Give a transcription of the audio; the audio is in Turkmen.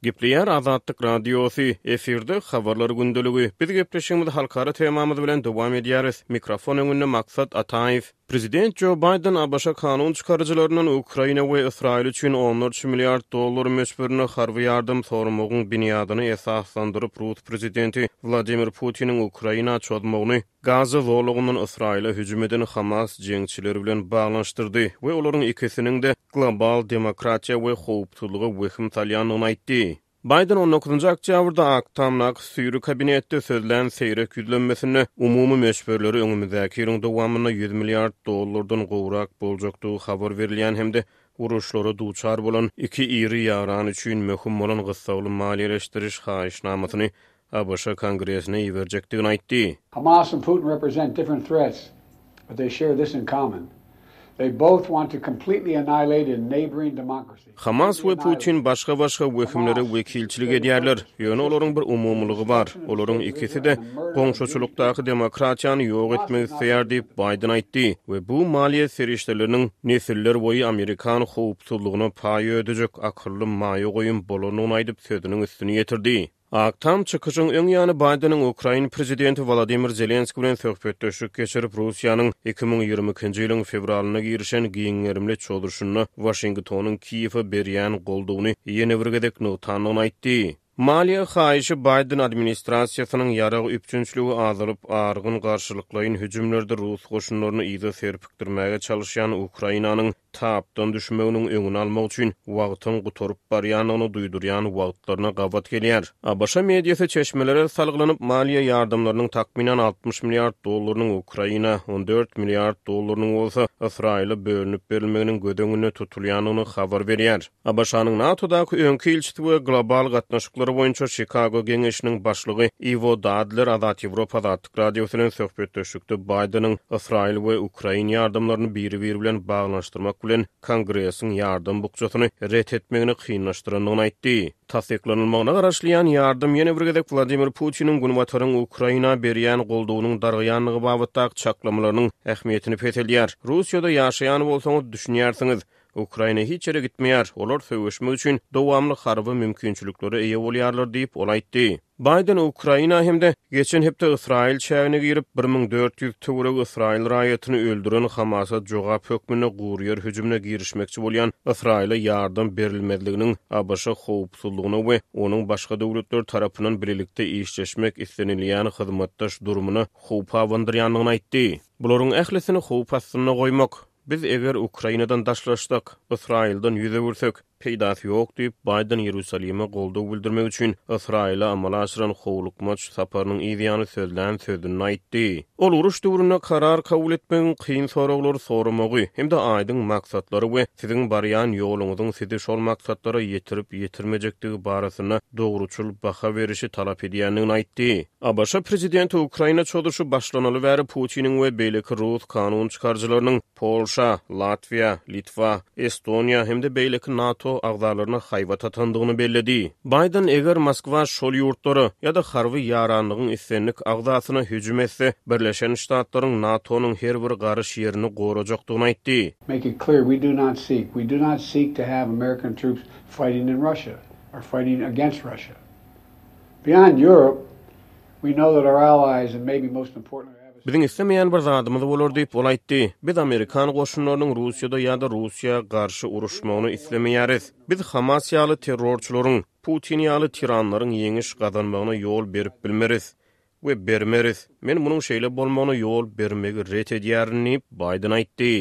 Gepleýär Azatlyk Radiosy, efirde Habarlar gündeligi. Biz gepleşigimizi halkara temamyz bilen dowam edýäris. Mikrofon öňünde Maksat Ataýew. Prezident Jo Baýden ABŞ kanun çykaryjylaryndan Ukraina we Ysraýyl üçin onlarça milliard dollar möçberinde harby ýardam soramagyň binýadyny esaslandyryp rus prezidenti Wladimir Putiniň Ukraina çozmagyny Gaza zolagyndan Ysraýyla hüjüm eden Hamas jeňçileri bilen baglanyşdyrdy we olaryň ikisiniň-de global demokratiýa we howpsuzlyga wehim salýandygyny aýtdy. Baýden on dokuzynjy oktýabrda Ak Tamdaky süýri kabinetde sözlän seýrek ýüzlenmesinde umumy möçberleri öňümizdäki ýylyň dowamynda 100 milliard dollardan gowrak boljakdygy habar berilýän hem-de uruşlara duçar bolan iki iri ýaran üçin möhüm bolan gyssagly maliýeleşdiriş haýyşnamasyny ABŞ Kongresine iberjekdigini aýtdy. Hamas and Putin represent different threats, but they share this in common, They both want to completely annihilate a neighboring democracy. Hamas we Putin başga-başga wehimlere wekilçilik edýärler, ýöne olaryň bir umumylygy bar, olaryň ikisi-de goňşuçylykdaky demokratiýany ýok etmek isleýär diýip, Baýden aýtdy we bu maliýe serişdeleriniň nesiller boýy amerikan howpsuzlygyna paý ödejek akylly maýa goýum bolandygyny aýdyp, sözüniň üstüni ýetirdi. Ak Tam çykyşyň öň ýany Baýdeniň ukrain prezidenti Wolodymyr Zelenskiý bilen söhbetdeşlik geçirip, Russiýanyň 2022-nji ýylyň fewralynda girişen giň gerimli çozuşynda Waşingtonyň Kiýewe berýän goldawyny ýene bir gezek nygtandygyny aýtdy. Maliýe haýyşy Baýden administrasiýasynyň ýarag üpjünçiligi azalyp, argyn garşylyklaýyn hüjümlerde rus goşunlaryny yza serpikdirmäge çalyşýan Ukrainanyň tapdan düşmeginiň öňüni almak üçin wagtyň gutaryp barýandygyny duýdurýan wagtlaryna gabat gelýär. ABŞ mediasy çeşmelere salgylanyp, maliýe ýardamlarynyň takmynan 60 milliard dollarynyň Ukraina, 14 milliard dollarynyň bolsa Ysraýyla bölünip berilmeginiň göz öňünde tutulýandygyny habar berýär. ABŞ-nyň NATO-daky öňki ilçisi we global gatnaşyklar boýunça Çikago geňeşiniň başlygy Iwo Dadler Azat Ýewropa Azatlyk Radiosy bilen söhbetdeşlikde Baýdeniň Ysraýyl we Ukrain ýardamlaryny biri-biri bilen baglanyşdyrmak bilen Kongresiň ýardam bukjasyny ret etmegini kynlaşdyrandygyny aýtdy. Tassyklanylmagyna garaşylýan ýardam ýene bir gezek Wladimir Putiniň Günbataryň Ukraina berýän goldawynyň dargaýandygy babatdaky çaklamalarynyň ähmiýetini peseldýär. Russiýada ýaşaýan bolsaňyz düşünýärsiňiz, Ukraina hiç ýere gitmeýär, olar söweşmek üçin dowamly harby mümkinçiliklere eýe bolýarlar diýip, ol aýtdy. Baýden Ukraina hem-de geçen hepde Ysraýyl çägine girip, 1400 töweregi ysraýyl raýatyny öldüren Hamasa jogap hökmünde guryýer hüjümine girişmekçi bolýan Ysraýyla ýardam berilmezliginiň ABŞ howpsuzlygyna we onuň başga döwletler tarapyndan bilelikde işleşmek islenilýän hyzmatdaş durumyna howp abandyrýandygyny aýtdy. Bularyň ählisini howp astynda goýmak, Biz eger Ukrainadan daşlaşsak, Ysraýyldan ýüz öwürsek, peýdasy ýok diýip, Baýden Ýerusalime goldaw bildirmek üçin Ysraýyla amala aşyran howlukmaç saparynyň yz ýany sözlän sözünde aýtdy. Ol uruş döwründe karar kabul etmegiň kyn soraglary soramagy hem-de aýdyň maksatlary we siziň barýan ýoluňyzyň sizi şol maksatlara ýetirip-ýetirmejekdigi barasynda dogruçyl baha berişi talap edýändigini aýtdy. ABŞ prezidenti Ukraina çozuşy başlanaly bäri Putiniň we beýleki rus kanun çykaryjylarynyň Polşa, Latwiýa, Litwa, Estoniýa hem-de beýleki NATO agzalaryna haýbat atandygyny belledi. Baýden eger Moskwa şol ýurtlara ýa-da harby ýaranlygyň islendik agzasyna hüjüm etse, Birleşen Ştatlaryň NATO-nyň her bir garyş ýerini gorajakdygyny aýtdy. Make it clear, we do not seek, we do not seek to have American troops fighting in Russia or fighting against Russia. Beyond Europe, we know that our allies and maybe most importantly our Biziň islemeýän bir zadymyz bolar diýip, ol aýtdy. Biz amerikan goşunlarynyň Russiýada ýa-da Russiýa garşy uruşmagyny islemeýäris. Biz Hamas ýaly terrorçylaryň, Putin ýaly tiranlaryň ýeňiş gazanmagyna ýol berip bilmeris we bermeris. Men munuň şeýle bolmagyna ýol bermegi ret edýärin diýip, Baýden aýtdy.